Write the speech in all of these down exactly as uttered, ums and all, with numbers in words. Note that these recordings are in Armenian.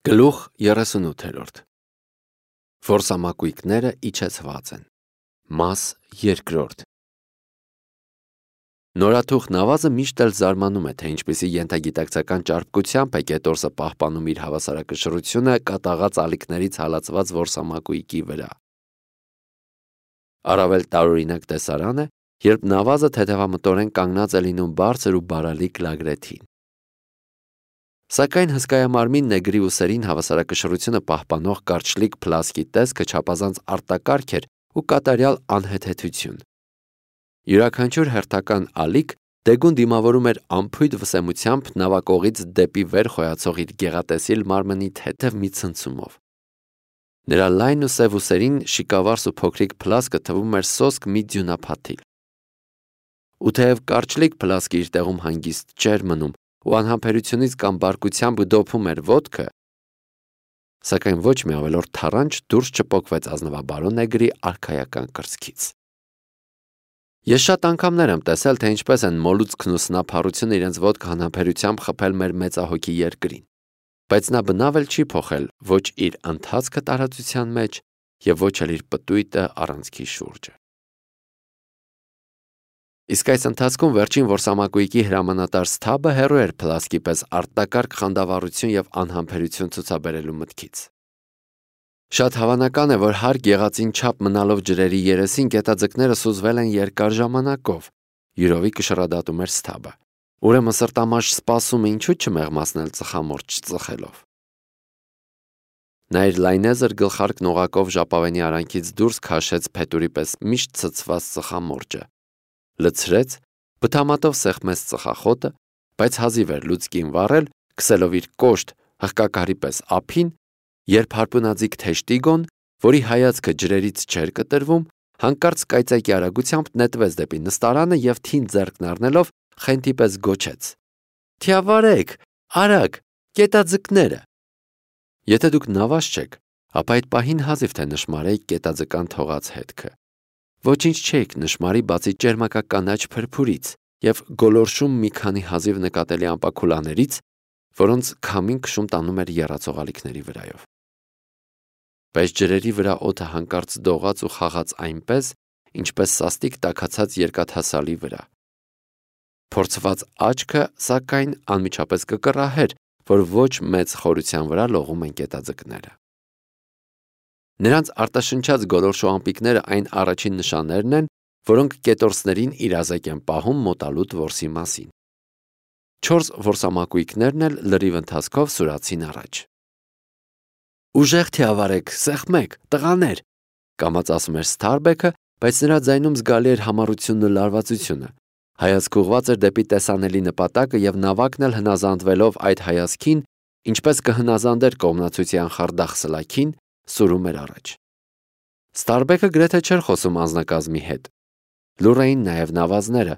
Գլուխ երեսունութերորդ Որսամակույկները իջեցված են։ Մաս երկրորդ Նորաթուխ նավազը միշտ էլ զարմանում է, թե ինչպիսի ենթագիտակցական ճարպկությամբ է կետորսը պահպանում իր հավասարակշռությունը կատաղած ալիքներից հալածված որսամակույկի վրա։ Առավել տարօրինակ տեսարան է, երբ նավազը թեթևամտորեն կանգնած է լինում բարձր ու բարալիկ լագրեթին։ Սակայն հսկայամարմին նեգրի ուսերին հավասարակշռությունը պահպանող կարճլիկ փլասկի տեսքը չափազանց արտակարգ էր ու կատարյալ անհեթեթություն։ Յուրաքանչյուր հերթական ալիք դեգուն դիմավորում էր անփույթ վսեմությամբ նավակողից դեպի վեր խոյացող իր գեղատեսիլ մարմնի թեթև մի ցնցումով։ Նրա լայն ու սև ուսերին շիկավարս ու փոքրիկ փլասկը թվում էր սոսկ մի ձյունափաթիլ։ Ու թեև կարճլիկ փլասկը իր տեղում հանգիստ չէր մնում ու անհամբերությունից կամ բարկությամբ դոփում էր ոտքը, սակայն ոչ մի ավելորդ թառանչ դուրս չպոկվեց ազնվաբարո նեգրի արքայական կրծքից։ Ես շատ անգամներ եմ տեսել, թե ինչպես են մոլուցքն ու սնափառությունը իրենց ոտքը անհամբերությամբ խփել մեր մեծահոգի երկրին, բայց նա բնավ էլ չի փոխել ոչ իր ընթացքը տարածության մեջ և ոչ էլ իր պտույտը առանցքի շուրջը։ Իսկ այս ընթացքում վերջին որսամակույկի հրամանատար Սթաբը հեռու էր փլասկի պես արտակարգ խանդավառություն և անհամբերություն ցուցաբերելու մտքից։ Շատ հավանական է, որ հարկ եղածին չափ մնալով ջրերի երեսին գետաձկները սուզվել են երկար ժամանակով, յուրովի կշռադատում էր Սթաբը։ Ուրեմն սրտամաշ սպասումը ինչու չմեղմացնել ծխամորճ ծխելով։ Նա իր լայնեզր գլխարկն օղակով ժապավենի արանքից դուրս քաշեց փետուրի պես միշտ ցցված ծխամորճը, լցրեց, բթամատով սեղմեց ծխախոտը, բայց հազիվ էր լուցկին վառել, քսելով իր կոշտ հղկակարի պես ափին, երբ հարպունաձիգ թեշտիգոն, որի հայացքը ջրերից չէր կտրվում, հանկարծ կայծակի արագությամբ նետվեց դեպի նստարանը և թին ձեռքն առնելով խենթի պես գոչեց. «Թիավարեք, արագ, կետաձկները»։ Եթե դուք նավազ չեք, ապա այդ պահին հազիվ թե նշմարեիք կետաձկան թողած հետքը։ Ոչինչ չէիք նշմարի բացի ճերմակականաչ փրփուրից և գոլորշում մի քանի հազիվ նկատելի ամպաքուլաներից, որոնց քամին քշում տանում էր եռացող ալիքների վրայով։ Բայց ջրերի վրա օդը հանկարծ դողաց ու խաղաց այնպես, ինչպես սաստիկ տաքացած երկաթասալի վրա։ Փորձված աչքը, սակայն, անմիջապես կկռահեր, որ ոչ մեծ խորության վրա լողում են կետաձկները։ Նրանց արտաշնչած գոլորշու ամպիկները այն առաջին նշաններն են, որոնք կետորսներին իրազեկ են պահում մոտալուտ որսի մասին։ Չորս որսամակույկներն էլ լրիվ ընթացքով սուրացին առաջ։ «Ուժեղ թիավարեք, սեղմեք, տղաներ», կամաց ասում էր Սթարբեքը, բայց նրա ձայնում զգալի էր համառությունն ու լարվածությունը։ Հայացքը ուղղված էր դեպի տեսանելի նպատակը և նավակն էլ հնազանդվելով այդ հայացքին, ինչպես կհնազանդեր կողմնացույցի անխարդախ սլաքին, սուրում էր առաջ։ Սթարբեքը գրեթե չէր խոսում անձնակազմի հետ։ Լուռ էին նաև նավազները,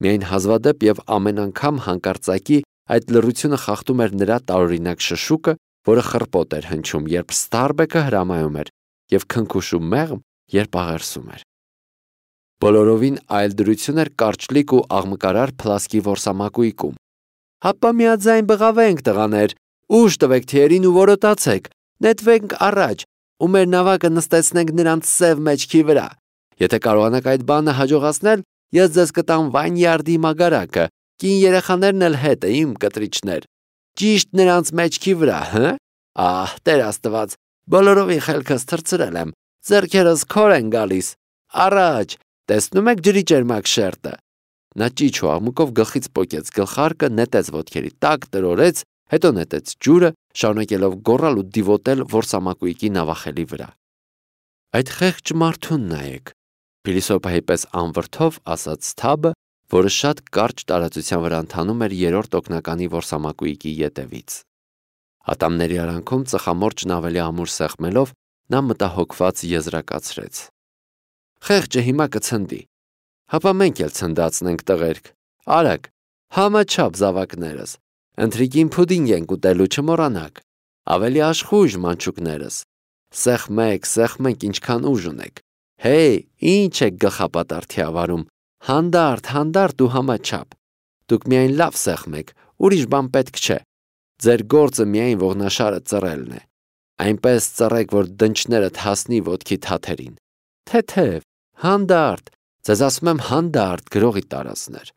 միայն հազվադեպ և ամեն անգամ հանկարծակի այդ լռությունը խախտում էր նրա տարօրինակ շշուկը, որը խռպոտ էր հնչում, երբ Սթարբեքը հրամայում էր, և քնքուշ ու մեղմ, երբ աղերսում էր։ Բոլորովին այլ դրություն էր կարճլիկ ու աղմկարար փլասկի որսամակույկում։ «Հապա միաձայն բղավենք, տղաներ, ուժ տվեք թիերին ու որոտացեք, նետվենք առաջ ու մեր նավակը նստեցնենք նրանց սև մեջքի վրա։ Եթե կարողանաք այդ բանը հաջողացնել, ես ձեզ կտամ Վայնյարդի մագարակը, կին երեխաներն էլ հետը, իմ կտրիչներ։ Ճիշտ նրանց մեջքի վրա, հը՞։ Ահ, Տեր Աստված, բոլորովին խելքս թռցրել եմ, ձեռքերս քոր են գալիս։ Առաջ, տեսնում եք ջրի ճերմակ շերտը»։ Նա ճիչ ու աղմուկով գլխից պոկեց գլխարկը, նետեց ոտքերի տակ, տրորեց, հետո նետեց ջուրը, շարունակելով գոռալ ու դիվոտել որսամակույկի նավախելի վրա։ «Այդ խեղճ մարդուն նայեք», փիլիսոփայի պես անվրդով ասաց Սթաբը, որը շատ կարճ տարածության վրա ընթանում էր երրորդ օգնականի որսամակույկի ետևից։ Ատամների արանքում ծխամորճն ավելի ամուր սեղմելով, նա մտահոգված եզրակացրեց. «Խեղճը հիմա կցնդի։ Հապա մենք էլ ցնդացնենք, տղերք, արագ, համաչափ զավակներս, ընթրիքին փուդինգ ենք ուտելու, չմոռանաք, ավելի աշխույժ մանչուկներս, սեղմեք, սեղմեք, ինչքան ուժ ունեք, հեյ, ինչ եք գլխապատառ թիավարում, հանդարտ, հանդարտ ու համաչափ, դուք միայն լավ սեղմեք, ուրիշ բան պետք չէ, Ձեր գործը միայն ողնաշարը ծռելն է։ Այնպես ծռեք, որ դնչներդ հասնի ոտքի թաթերին։ Թեթև, հանդարտ, ձեզ ասում եմ հանդարտ գրողի տարածներ։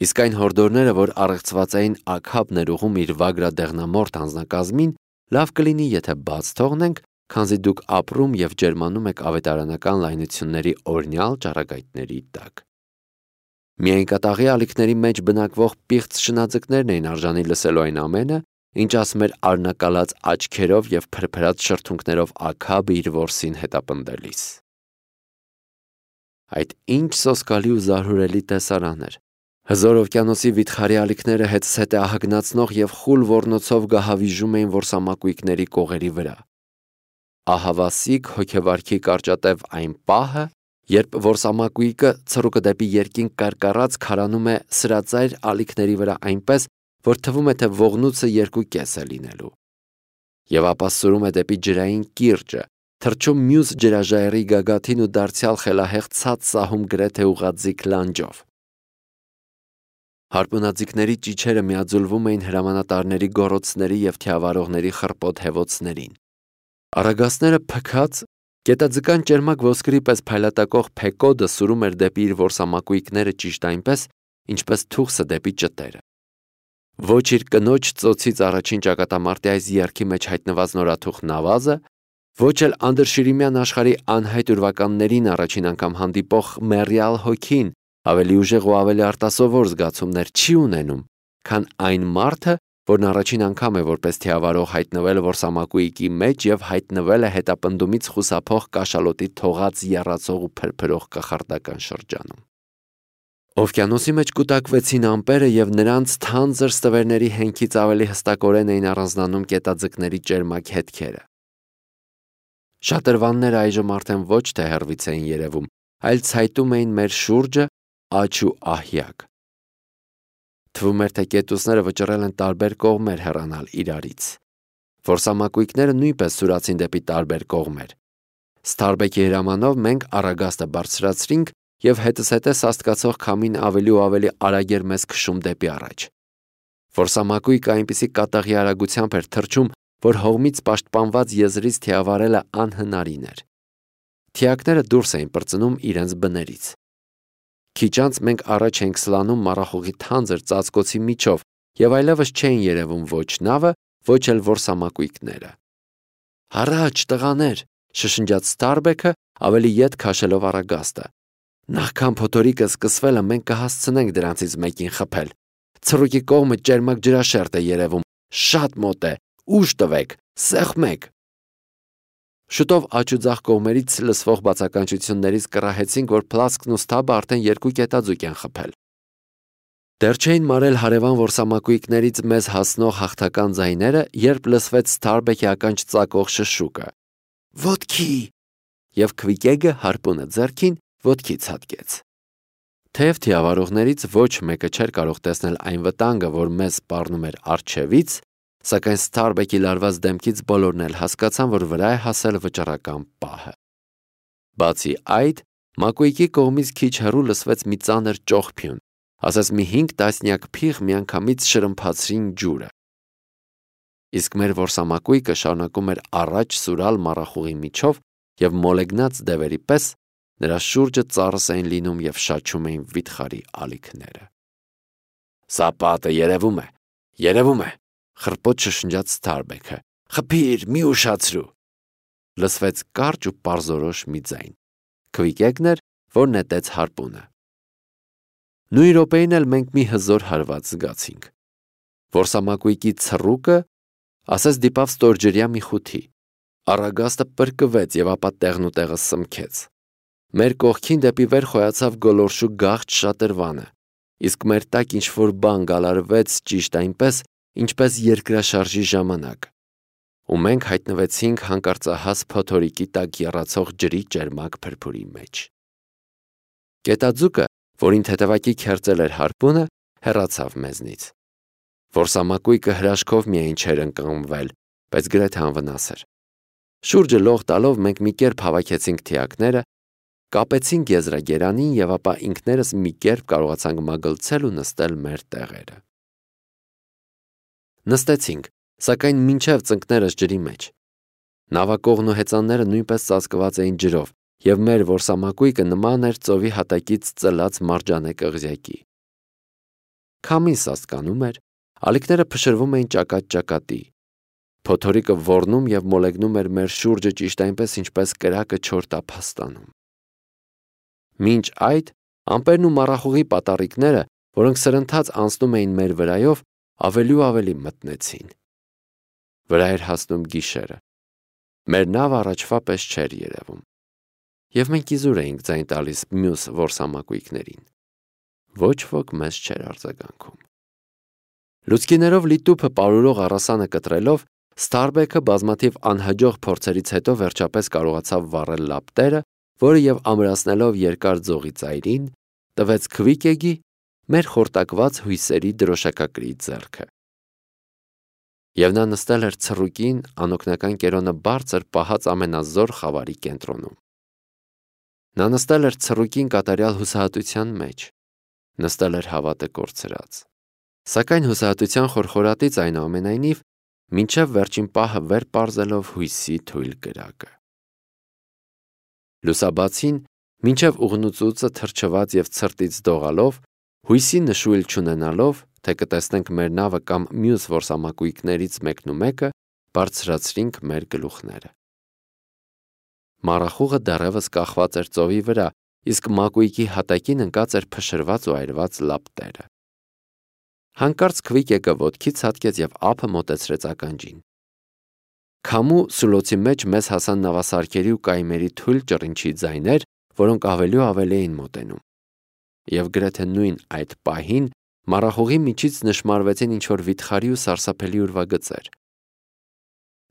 Իսկ այն հորդորները, որ առեղծված էին Աքաբ ներուղում իր վագրադեղնամորթ անձնակազմին, լավ կլինի, եթե բաց թողնենք, քանզի դուք ապրում և ջերմանում եք ավետարանական լայնությունների օրհնյալ ճառագայթների տակ։ Միայն կատաղի ալիքների մեջ բնակվող պիղծ շնաձկներն էին արժանի լսելու այն ամենը, ինչ ասում էր արնակալած աչքերով և փրփրած շրթունքներով Աքաբը իր որսին հետապնդելիս։ Այդ ինչ սոսկալի ու զարհուրելի տեսարան էր։ Հզոր օվկիանոսի վիթխարի ալիքները հետզհետե ահագնացնող և խուլ ոռնոցով գահավիժում էին որսամակույկների կողերի վրա։ Ահավասիկ հոգեվարքի կարճատև այն պահը, երբ որսամակույկը ցռուկը դեպի երկինք կարկառած քարանում է սրածայր ալիքների վրա այնպես, որ թվում է, թե ողնուցը երկու կես է լինելու։ Եվ ապա սուրում է դեպի ջրային կիրճը, թռչում մյուս ջրաժայռի գագաթին ու դարձյալ խելահեղ ցած սահում գրեթե ուղղաձիգ լանջով։ Հարպունաձիգների ճիչերը միաձուլվում էին հրամանատարների գոռոցների և թիավարողների խռպոտ հևոցներին։ Առագաստները փքած, գետաձկան ճերմակ ոսկրի պես փայլատակող Փեկոդը սուրում էր դեպի իր որսամակույկները ճիշտ այնպես, ինչպես թուխսը դեպի ճտերը։ Ոչ իր կնոջ ծոցից առաջին ճակատամարտի այս երգի մեջ հայտնված նորաթուխ Նավազը, ոչ էլ անդրշիրիմյան աշխարհի անհայտ ուրվականներին առաջին անգամ հանդիպող մեռյալ հոգին ավելի ուժեղ ու ավելի արտասովոր զգացումներ չի ունենում, քան այն մարդը, որն առաջին անգամ է որպես թիավարող հայտնվել որսամակույկի մեջ և հայտնվել է հետապնդումից խուսափող կաշալոտի թողած եռացող ու փրփրող կախարդական շրջանում։ Օվկիանոսի մեջ կուտակվեցին ամպերը և նրանց թանձր ստվերների հենքից ավելի հստակորեն էին առանձնանում կետաձկների ճերմակ հետքերը։ Շատրվանները այժմ արդեն ոչ թե հեռվից էին երևում, այլ ցայտում էին մեր շուրջը աջ ու ահյակ։ Թվում էր, թե կետուսները վճռել են տարբեր կողմեր հեռանալ իրարից։ Որսամակույկները նույնպես սուրացին դեպի տարբեր կողմեր։ Սթարբեքի հրամանով մենք առագաստը բարձրացրինք և հետզհետե սաստկացող քամին ավելի ու ավելի արագ էր մեզ քշում դեպի առաջ։ Որսամակույկը այնպիսի կատաղի արագությամբ էր թռչում, որ հողմից պաշտպանված եզրից թիավարելը անհնարին էր։ Թիակները դուրս էին պրծնում իրենց բներից։ Քիչ անց մենք առաջ էինք սլանում մառախուղի թանձր ծածկոցի միջով և այլևս չէին երևում ոչ նավը, ոչ էլ որսամակույկները։ «Հառաչ, տղաներ», շշնջաց Սթարբեքը, ավելի ետ քաշելով առագաստը։ «Նախքան փոթորիկը սկսվելը մենք կհասցնենք դրանցից մեկին խփել։ Ցռուկի կողմը ճերմակ ջրաշերտ է երևում, շատ մոտ է, ուժ տվեք, սեղմեք»։ Շուտով աջ ու ձախ կողմերից լսվող բացականչություններից կռահեցինք, որ Փլասկն ու Սթաբը արդեն երկու կետաձուկ են խփել։ Դեռ չէին մարել հարևան որսամակույկներից մեզ հասնող հաղթական ձայները, երբ լսվեց Սթարբեքի ականջ ծակող շշուկը։ «Ոտքի»։ Եվ Քվիկեգը հարպունը ձեռքին ոտքի ցատկեց։ Թեև թիավարողներից ոչ մեկը չէր կարող տեսնել այն վտանգը, որ մեզ սպառնում էր առջևից, սակայն Սթարբեքի լարված դեմքից բոլորն էլ հասկացան, որ վրա է հասել վճռական պահը։ Բացի այդ, մակույկի կողմից քիչ հեռու լսվեց մի ծանր ճողփյուն, ասես մի հինգ տասնյակ փիղ միանգամից շրմփացրին ջուրը։ Իսկ մեր որսամակույկը շարունակում էր առաջ սուրալ մառախուղի միջով և մոլեգնած դևերի պես նրա շուրջը ծառս էին լինում և շաչում էին վիթխարի ալիքները։ «Սա պատը երևում է, երևում է», խռպոտ շշնջաց Սթարբեքը։ «Խփիր, մի ուշացրու»։ Լսվեց կարճ ու պարզորոշ մի ձայն։ Քվիկեգն էր, որ նետեց հարպունը։ Նույն րոպեին էլ մենք մի հզոր հարված զգացինք։ Որսամակույկի ցռուկը ասես դիպավ ստորջրյա մի խութի։ Առագաստը պրկվեց և ապա տեղնուտեղը սմքեց։ Մեր կողքին դեպի վեր խոյացավ գոլորշու գաղթ շատրվանը, իսկ մեր տակ ինչ-որ բան գալարվեց ճիշտ այնպես, ինչպես երկրաշարժի ժամանակ, ու մենք հայտնվեցինք հանկարծահաս փոթորիկի տակ եռացող ջրի ճերմակ փրփուրի մեջ։ Կետաձուկը, որին թեթևակի քերծել էր հարպունը, հեռացավ մեզնից։ Որսամակույկը հրաշքով միայն չէր ընկղմվել, բայց գրեթե անվնաս էր։ Շուրջը լող տալով մենք մի կերպ հավաքեցինք թիակները, կապեցինք եզրագերանին և ապա ինքներս մի կերպ կարողացանք մագլցել ու նստել մեր տեղերը։ Նստեցինք, սակայն մինչև ծնկներս ջրի մեջ։ Նավակողն ու հեծանները նույնպես ծածկված էին ջրով, և մեր որսամակույկը նման էր ծովի հատակից ծլած մարջանե կղզյակի։ Քամին սաստկանում էր, ալիքները փշրվում էին ճակատ-ճակատի։ Փոթորիկը ոռնում և մոլեգնում էր մեր շուրջը ճիշտ այնպես, ինչպես կրակը չոր տափաստանում։ Մինչ այդ ամպերն ու մառախուղի պատառիկները, որոնք սրընթաց անցնում էին մեր վրայով, ավելի ու ավելի մթնեցին։ Վրա էր հասնում գիշերը։ Մեր նավը առաջվա պես չէր երևում։ Եվ մենք իզուր էինք ձայն տալիս մյուս որսամակույկներին։ Ոչ ոք մեզ չէր արձագանքում։ Լուցկիներով լի տուփը պարուրող առասանը կտրելով, Ստարբեքը բազմաթիվ անհաջող փորձերից հետո վերջապես կարողացավ վառել լապտերը, որը և ամրացնելով երկար ձողի ծայրին, տվեց Քվիկեգի, մեր խորտակված հույսերի դրոշակակրի ձեռքը։ Եվ նա նստել էր ցռուկին անօգնական կերոնը բարձր պահած ամենազոր խավարի կենտրոնում։ Նա նստել էր ցռուկին կատարյալ հուսահատության մեջ, նստել էր հավատը կորցրած։ Սակայն հուսահատության խորխորատից այնուամենայնիվ մինչև վերջին պահը վեր պարզելով հույսի թույլ կրակը։ Լուսաբացին, մինչև ուղնուծուծը թրջված և ցրտից դողալով, հույսի նշույլ չունենալով, թե կտեսնենք մեր նավը կամ մյուս որսամակույկներից մեկն ու մեկը, բարձրացրինք մեր գլուխները։ Մառախուղը դեռևս կախված էր ծովի վրա, իսկ մակույկի հատակին ընկած էր փշրված ու այրված լապտերը։ Հանկարծ Քվիկեկը ոտքի ցատկեց և ափը մոտեցրեց ականջին։ Քամու սուլոցի մեջ մեզ հասան նավասարքերի ու կայմերի թույլ ճռինչի ձայներ, որոնք ավելի ու ավելի էին մոտենում։ Եվ գրեթե նույն այդ պահին մառախուղի միջից նշմարվեցին ինչ-որ վիթխարի ու սարսափելի ուրվագծեր։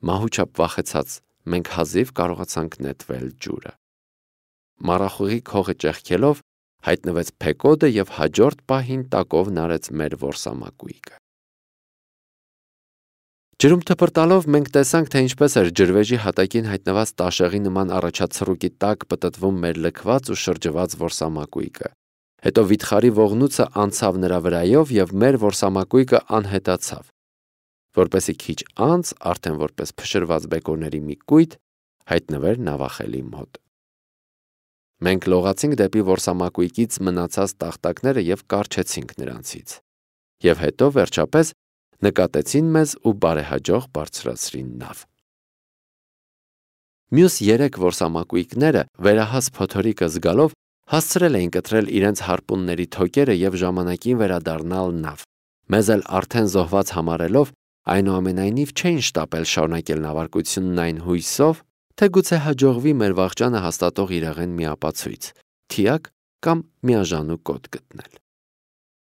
Մահու չափ վախեցած մենք հազիվ կարողացանք նետվել ջուրը։ Մառախուղի քողը ճեղքելով հայտնվեց Փեկոդը և հաջորդ պահին տակով նարեց մեր որսամակույկը։ Ջրում թփրտալով մենք տեսանք, թե ինչպես էր ջրվեժի հատակին հայտնված տաշեղի նման առաջացռուկի տակ պտտվում մեր լքված ու շրջված որսամակույկը։ Հետո վիթխարի ողնուցը անցավ նրա վրայով և մեր որսամակույկը անհետացավ, որպեսզի քիչ անց, արդեն որպես փշրված բեկորների մի կույտ, հայտնվեր նավախելի մոտ։ Մենք լողացինք դեպի որսամակույկից մնացած տախտակները և կառչեցինք նրանցից։ Եվ հետո վերջապես նկատեցին մեզ ու բարեհաջող բարձրացրին նավ։ Մյուս երեք որսամակույկները վերահաս փոթորիկը զգալով հասցրել էին կտրել իրենց հարպունների թոկերը և ժամանակին վերադառնալ նավ։ Մեզ էլ արդեն զոհված համարելով, այնուամենայնիվ չէին շտապել շարունակել նավարկությունն այն հույսով, թե գուցե հաջողվի մեր վախճանը հաստատող իրեղեն մի ապացույց, թիակ կամ միաժամանուկ կոթ գտնել։